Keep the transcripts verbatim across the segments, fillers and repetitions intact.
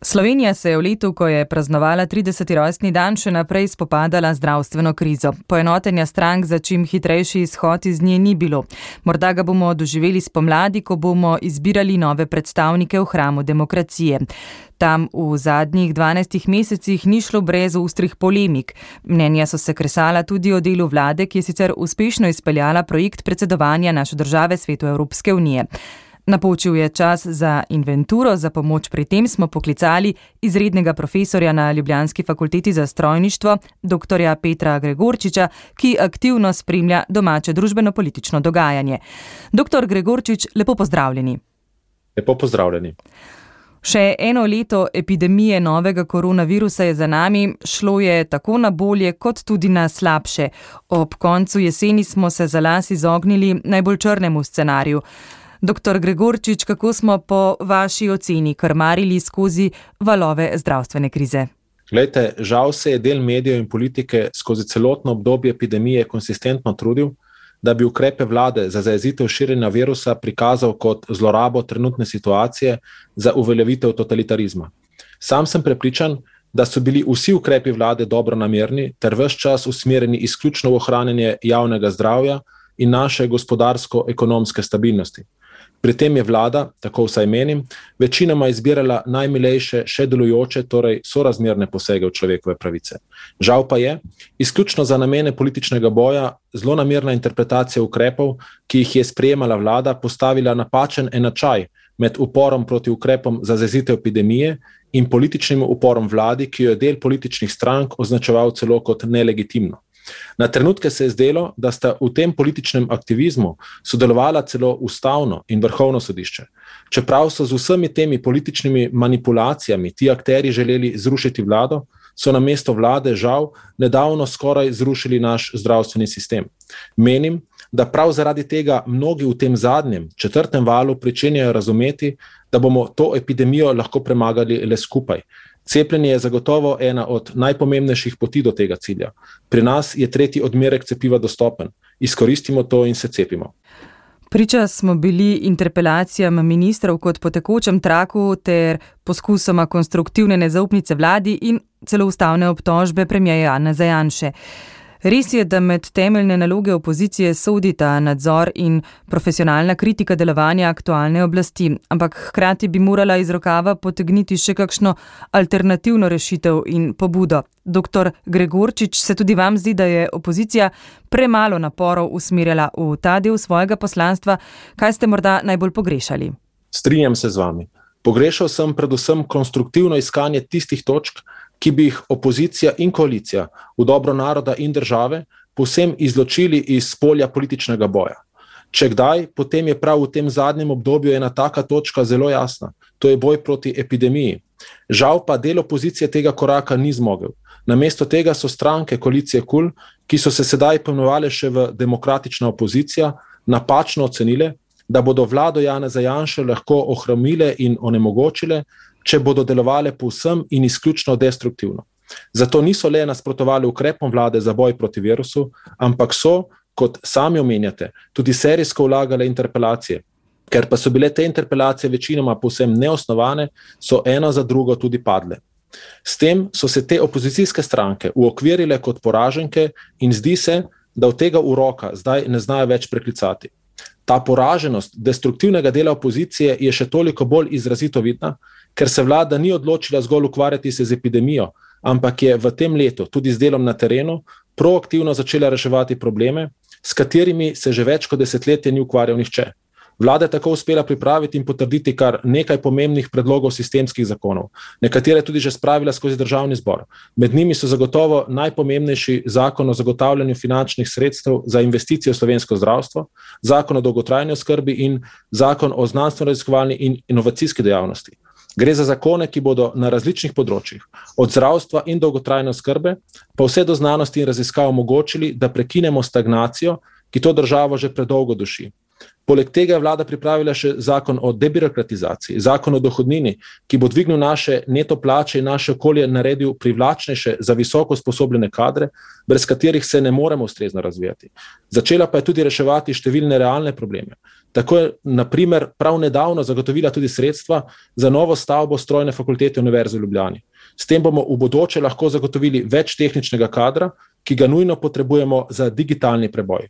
Slovenija se je v letu, ko je praznovala trideseti rojstni dan, še naprej spopadala zdravstveno krizo. Poenotenja strank za čim hitrejši izhod iz nje ni bilo. Morda ga bomo doživeli spomladi, ko bomo izbirali nove predstavnike v hramu demokracije. Tam v zadnjih dvanajstih mesecih ni šlo brez ostrih polemik. Mnenja so se kresala tudi o delu vlade, ki je sicer uspešno izpeljala projekt predsedovanja naše države Svetu Evropske unije. Napočil je čas za inventuro, za pomoč pri tem smo poklicali izrednega profesorja na Ljubljanski fakulteti za strojništvo, doktorja Petra Gregorčiča, ki aktivno spremlja domače družbeno-politično dogajanje. Doktor Gregorčič, lepo pozdravljeni. Lepo pozdravljeni. Še eno leto epidemije novega koronavirusa je za nami, šlo je tako na bolje kot tudi na slabše. Ob koncu jeseni smo se za las izognili najbolj črnemu scenariju. Doktor Gregorčič, kako smo po vaši oceni krmarili skozi valove zdravstvene krize? Glejte, žal se je del medijev in politike skozi celotno obdobje epidemije konsistentno trudil, da bi ukrepe vlade za zajezitev širjenja virusa prikazal kot zlorabo trenutne situacije za uveljavitev totalitarizma. Sam sem prepričan, da so bili vsi ukrepi vlade dobronamerni ter ves čas usmerjeni izključno v ohranjanje javnega zdravja in naše gospodarsko-ekonomske stabilnosti. Pri tem je vlada, tako vsaj menim, večinoma izbirala najmilejše še delujoče, torej sorazmerne posege v človekove pravice. Žal pa je, izključno za namene političnega boja, zlonamerna interpretacija ukrepov, ki jih je sprejemala vlada, postavila napačen enačaj med uporom proti ukrepom za zajezitev epidemije in političnim uporom vladi, ki jo je del političnih strank označeval celo kot nelegitimno. Na trenutke se je zdelo, da sta v tem političnem aktivizmu sodelovala celo ustavno in vrhovno sodišče. Čeprav so z vsemi temi političnimi manipulacijami ti akteri želeli zrušiti vlado, so na mesto vlade žal nedavno skoraj zrušili naš zdravstveni sistem. Menim, da prav zaradi tega mnogi v tem zadnjem, četrtem valu pričenjajo razumeti, da bomo to epidemijo lahko premagali le skupaj. Cepljenje je zagotovo ena od najpomembnejših poti do tega cilja. Pri nas je tretji odmerek cepiva dostopen. Izkoristimo to in se cepimo. Priča smo bili interpelacijam ministrov kot po tekočem traku ter poskusoma konstruktivne nezaupnice vladi in celo ustavne obtožbe premierja Janeza Janše. Res je, da med temeljne naloge opozicije sodita nadzor in profesionalna kritika delovanja aktualne oblasti, ampak hkrati bi morala iz rokava potegniti še kakšno alternativno rešitev in pobudo. Doktor Gregorčič, se tudi vam zdi, da je opozicija premalo naporov usmerjala v ta del svojega poslanstva? Kaj ste morda najbolj pogrešali? Strinjam se z vami. Pogrešal sem predvsem konstruktivno iskanje tistih točk, ki bi jih opozicija in koalicija v dobro naroda in države povsem izločili iz polja političnega boja. Če kdaj, potem je prav v tem zadnjem obdobju ena taka točka zelo jasna, to je boj proti epidemiji. Žal pa del opozicije tega koraka ni zmogel. Namesto tega so stranke koalicije KUL, ki so se sedaj poimenovale še v demokratična opozicija, napačno ocenile, da bodo vlado Janeza Janše lahko ohromile in onemogočile, če bodo delovale povsem in izključno destruktivno. Zato niso le nasprotovali ukrepom vlade za boj proti virusu, ampak so, kot sami omenjate, tudi serijsko vlagale interpelacije. Ker pa so bile te interpelacije večinoma povsem neosnovane, so ena za drugo tudi padle. S tem so se te opozicijske stranke uokvirile kot poraženke in zdi se, da od tega uroka zdaj ne znajo več preklicati. Ta poraženost destruktivnega dela opozicije je še toliko bolj izrazito vidna, ker se vlada ni odločila zgolj ukvarjati se z epidemijo, ampak je v tem letu tudi z delom na terenu proaktivno začela reševati probleme, s katerimi se že več kot desetletje ni ukvarjal nihče. Vlada je tako uspela pripraviti in potrditi kar nekaj pomembnih predlogov sistemskih zakonov, nekatere tudi že spravila skozi državni zbor. Med njimi so zagotovo najpomembnejši zakon o zagotavljanju finančnih sredstev za investicije v slovensko zdravstvo, zakon o dolgotrajni oskrbi in zakon o znanstveno-raziskovalni in inovacijski dejavnosti. Gre za zakone, ki bodo na različnih področjih, od zdravstva in dolgotrajne oskrbe, pa vse do znanosti in raziskav omogočili, da prekinemo stagnacijo, ki to državo že predolgo duši. Poleg tega je vlada pripravila še zakon o debirokratizaciji, zakon o dohodnini, ki bo dvignil naše neto plače in naše okolje naredil privlačnejše za visoko usposobljene kadre, brez katerih se ne moremo ustrezno razvijati. Začela pa je tudi reševati številne realne probleme. Tako je, na primer, prav nedavno zagotovila tudi sredstva za novo stavbo strojne fakultete Univerze v Ljubljani. S tem bomo v bodoče lahko zagotovili več tehničnega kadra, ki ga nujno potrebujemo za digitalni preboj.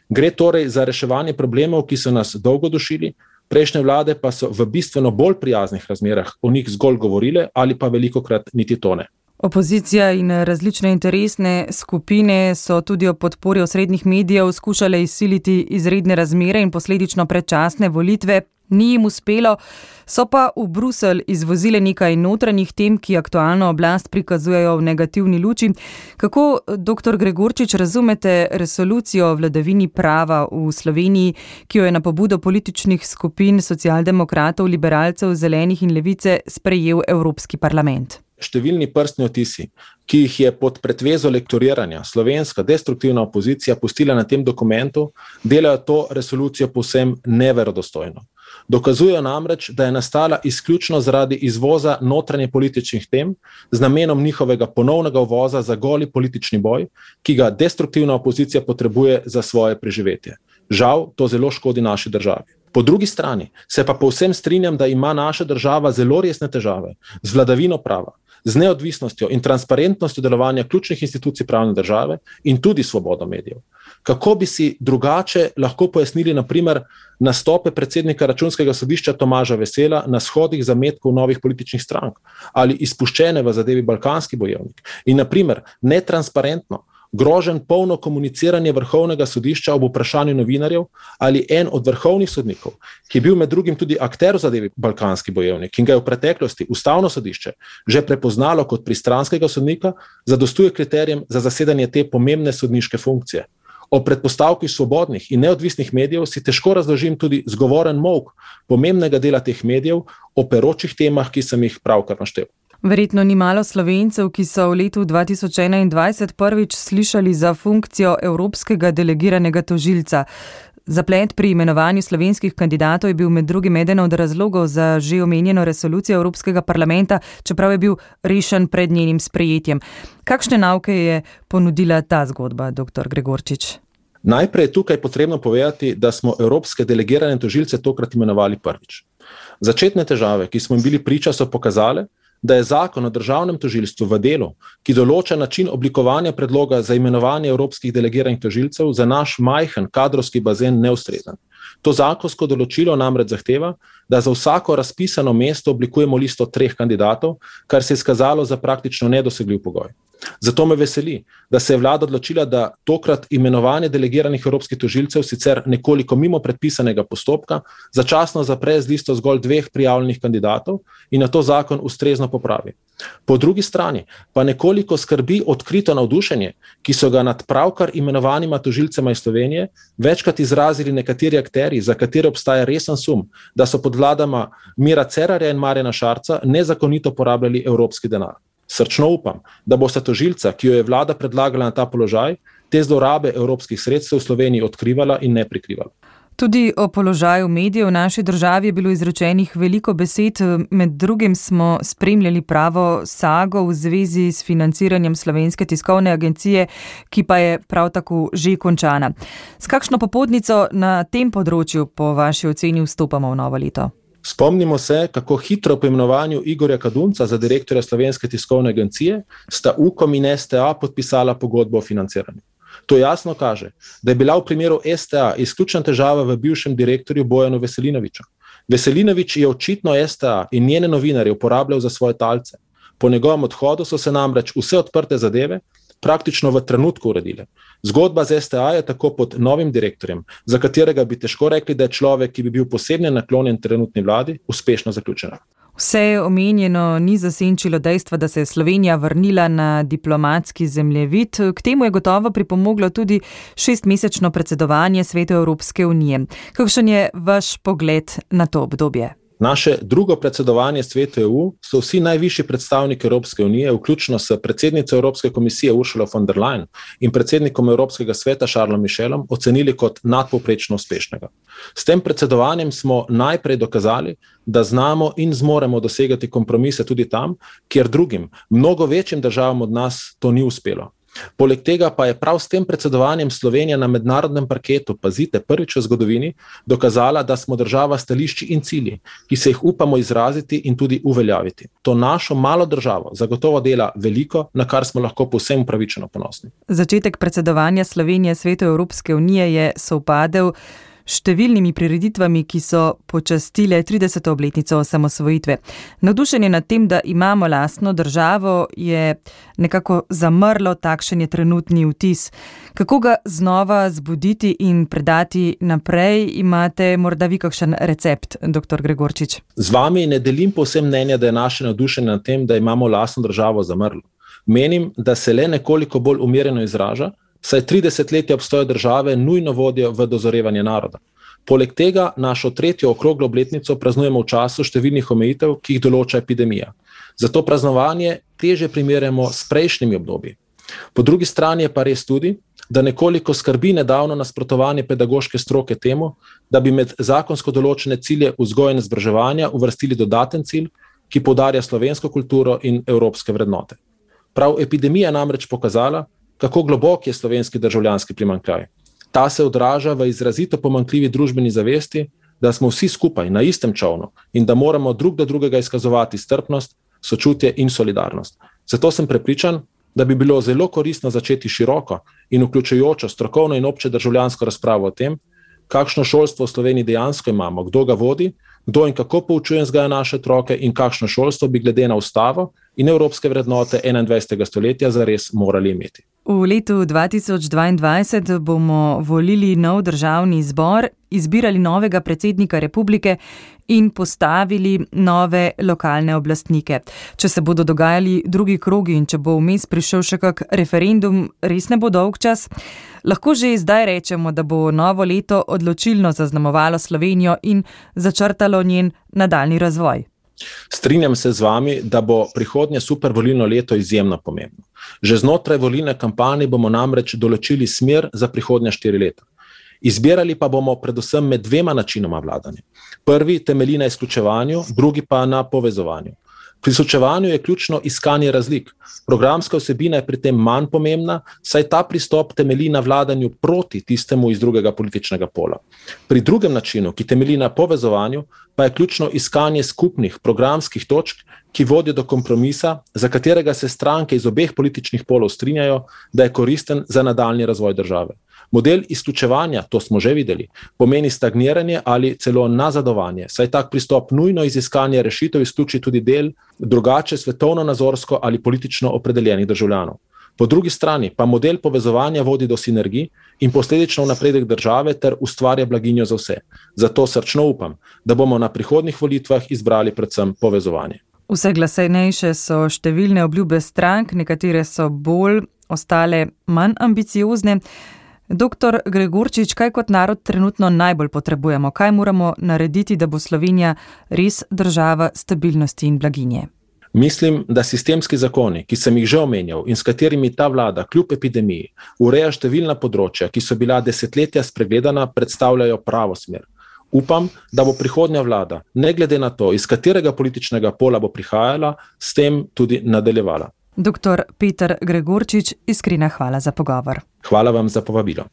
Gre torej za reševanje problemov, ki so nas dolgo dušili, prejšnje vlade pa so v bistveno bolj prijaznih razmerah o njih zgolj govorile ali pa velikokrat niti to ne. Opozicija in različne interesne skupine so tudi ob podpori osrednjih medijev skušale izsiliti izredne razmere in posledično predčasne volitve. Ni jim uspelo, so pa v Bruselj izvozile nekaj notranjih tem, ki aktualno oblast prikazujejo v negativni luči. Kako, doktor Gregorčič, razumete resolucijo o vladavini prava v Sloveniji, ki jo je na pobudo političnih skupin socialdemokratov, liberalcev, zelenih in levice sprejel Evropski parlament? Številni prstni odtisi, ki jih je pod pretvezo lektoriranja slovenska destruktivna opozicija pustila na tem dokumentu, delajo to resolucijo povsem neverodostojno. Dokazujejo namreč, da je nastala izključno zaradi izvoza notranje političnih tem z namenom njihovega ponovnega uvoza za goli politični boj, ki ga destruktivna opozicija potrebuje za svoje preživetje. Žal, to zelo škodi naši državi. Po drugi strani se pa povsem strinjam, da ima naša država zelo resne težave z vladavino prava, z neodvisnostjo in transparentnostjo delovanja ključnih institucij pravne države in tudi svobodo medijev. Kako bi si drugače lahko pojasnili na primer nastope predsednika Računskega sodišča Tomaža Vesela na shodih zametkov novih političnih strank ali izpuščene v zadevi Balkanski bojevnik in na primer netransparentno grožen polno komuniciranje Vrhovnega sodišča ob vprašanju novinarjev ali en od vrhovnih sodnikov, ki je bil med drugim tudi akter v zadevi Balkanski bojevnik in ga je v preteklosti Ustavno sodišče že prepoznalo kot pristranskega sodnika, zadostuje kriterijem za zasedanje te pomembne sodniške funkcije. O predpostavki svobodnih in neodvisnih medijev si težko razložim tudi zgovoren molk pomembnega dela teh medijev o peročih temah, ki sem jih pravkar naštel. Verjetno ni malo Slovencev, ki so v letu dva tisoč enaindvajset prvič slišali za funkcijo evropskega delegiranega tožilca. Zaplet pri imenovanju slovenskih kandidatov je bil med drugim eden od razlogov za že omenjeno resolucijo Evropskega parlamenta, čeprav je bil rešen pred njenim sprejetjem. Kakšne nauke je ponudila ta zgodba, doktor Gregorčič? Najprej je tukaj potrebno povedati, da smo evropske delegirane tožilce tokrat imenovali prvič. Začetne težave, ki smo jim bili priča, so pokazale, da je zakon o državnem tožilstvu v delu, ki določa način oblikovanja predloga za imenovanje evropskih delegiranih tožilcev, za naš majhen kadrovski bazen neustrezen. To zakonsko določilo namreč zahteva, da za vsako razpisano mesto oblikujemo listo treh kandidatov, kar se je izkazalo za praktično nedosegljiv pogoj. Zato me veseli, da se je vlada odločila, da tokrat imenovanje delegiranih evropskih tožilcev sicer nekoliko mimo predpisanega postopka začasno zapre z listo zgolj dveh prijavljenih kandidatov in na to zakon ustrezno popravi. Po drugi strani pa nekoliko skrbi odkrito navdušenje, ki so ga nad pravkar imenovanima tožilcema iz Slovenije večkrat izrazili nekateri akterji, za katere obstaja resen sum, da so pod vladama Mira Cerarja in Marjana Šarca nezakonito porabljali evropski denar. Srčno upam, da bosta tožilca, ki jo je vlada predlagala na ta položaj, te zlorabe evropskih sredstev v Sloveniji odkrivala in ne prikrivala. Tudi o položaju medijev v naši državi je bilo izrečenih veliko besed, med drugim smo spremljali pravo sago v zvezi s financiranjem Slovenske tiskovne agencije, ki pa je prav tako že končana. S kakšno popotnico na tem področju po vaši oceni vstopamo v novo leto? Spomnimo se, kako hitro po imenovanju Igorja Kadunca za direktorja Slovenske tiskovne agencije sta Ukom in S T A podpisala pogodbo o financiranju. To jasno kaže, da je bila v primeru S T A izključna težava v bivšem direktorju Bojanu Veselinoviču. Veselinovič je očitno S T A in njene novinarje uporabljal za svoje talce. Po njegovem odhodu so se namreč vse odprte zadeve praktično v trenutku uredile. Zgodba z S T A je tako pod novim direktorjem, za katerega bi težko rekli, da je človek, ki bi bil posebno naklonjen trenutni vladi, uspešno zaključena. Vse omenjeno ni zasenčilo dejstva, da se je Slovenija vrnila na diplomatski zemljevid. K temu je gotovo pripomoglo tudi šestmesečno predsedovanje Svetu Evropske unije. Kakšen je vaš pogled na to obdobje? Naše drugo predsedovanje Svetu E U so vsi najvišji predstavniki Evropske unije, vključno s predsednico Evropske komisije Ursula von der Leyen in predsednikom Evropskega sveta Charlesom Michelom, ocenili kot nadpovprečno uspešnega. S tem predsedovanjem smo najprej dokazali, da znamo in zmoremo dosegati kompromise tudi tam, kjer drugim, mnogo večjim državam od nas to ni uspelo. Poleg tega pa je prav s tem predsedovanjem Slovenija na mednarodnem parketu, pazite, prvič v zgodovini, dokazala, da smo država stališči in cilji, ki se jih upamo izraziti in tudi uveljaviti. To našo malo državo zagotovo dela veliko, na kar smo lahko povsem upravičeno ponosni. Začetek predsedovanja Slovenije Svetu Evropske unije je sovpadel številnimi prireditvami, ki so počastile trideseto obletnico osamosvojitve. Navdušenje nad tem, da imamo lastno državo, je nekako zamrlo, takšen je trenutni vtis. Kako ga znova zbuditi in predati naprej? Imate morda vi kakšen recept, doktor Gregorčič? Z vami ne delim povsem mnenja, da je naše navdušenje nad tem, da imamo lastno državo, zamrlo. Menim, da se le nekoliko bolj umirjeno izraža, saj trideset letja obstoja države nujno vodijo v dozorevanje naroda. Poleg tega našo tretjo okroglo obletnico praznujemo v času številnih omejitev, ki jih določa epidemija. Zato praznovanje teže primerjamo s prejšnjimi obdobji. Po drugi strani je pa res tudi, da nekoliko skrbi nedavno nasprotovanje pedagoške stroke temu, da bi med zakonsko določene cilje vzgoje in izobraževanja uvrstili dodaten cilj, ki poudarja slovensko kulturo in evropske vrednote. Prav epidemija namreč pokazala, kako globok je slovenski državljanski primanjkljaj. Ta se odraža v izrazito pomanjkljivi družbeni zavesti, da smo vsi skupaj na istem čolnu in da moramo drug do drugega izkazovati strpnost, sočutje in solidarnost. Zato sem prepričan, da bi bilo zelo koristno začeti široko in vključujočo strokovno in obče državljansko razpravo o tem, kakšno šolstvo v Sloveniji dejansko imamo, kdo ga vodi, kdo in kako poučuje in vzgaja naše otroke in kakšno šolstvo bi glede na ustavo in evropske vrednote enaindvajsetega stoletja zares morali imeti. V letu dva tisoč dvaindvajset bomo volili nov državni zbor, izbirali novega predsednika republike in postavili nove lokalne oblastnike. Če se bodo dogajali drugi krogi in če bo vmes prišel še kak referendum, res ne bo dolg čas, lahko že zdaj rečemo, da bo novo leto odločilno zaznamovalo Slovenijo in začrtalo njen nadaljnji razvoj. Strinjam se z vami, da bo prihodnje supervolilno leto izjemno pomembno. Že znotraj volilne kampanje bomo namreč določili smer za prihodnja štiri leta. Izbirali pa bomo predvsem med dvema načinoma vladanja. Prvi temelji na izključevanju, drugi pa na povezovanju. Pri izključevanju je ključno iskanje razlik. Programska vsebina je pri tem manj pomembna, saj ta pristop temelji na vladanju proti tistemu iz drugega političnega pola. Pri drugem načinu, ki temelji na povezovanju, pa je ključno iskanje skupnih programskih točk, ki vodijo do kompromisa, za katerega se stranke iz obeh političnih polov strinjajo, da je koristen za nadaljnji razvoj države. Model izključevanja, to smo že videli, pomeni stagniranje ali celo nazadovanje, saj tak pristop nujno iz iskanja rešitev izključi tudi del drugače svetovno-nazorsko ali politično opredeljenih državljanov. Po drugi strani pa model povezovanja vodi do sinergij in posledično napredek države ter ustvarja blaginjo za vse. Zato srčno upam, da bomo na prihodnjih volitvah izbrali predvsem povezovanje. Vse glasnejše so številne obljube strank, nekatere so bolj, ostale manj ambiciozne. Doktor Gregorčič, kaj kot narod trenutno najbolj potrebujemo? Kaj moramo narediti, da bo Slovenija res država stabilnosti in blaginje? Mislim, da sistemski zakoni, ki sem jih že omenjal in s katerimi ta vlada kljub epidemiji ureja številna področja, ki so bila desetletja spregledana, predstavljajo pravo smer. Upam, da bo prihodnja vlada, ne glede na to, iz katerega političnega pola bo prihajala, s tem tudi nadaljevala. Doktor Peter Gregorčič, iskrena hvala za pogovor. Hvala vam za povabilo.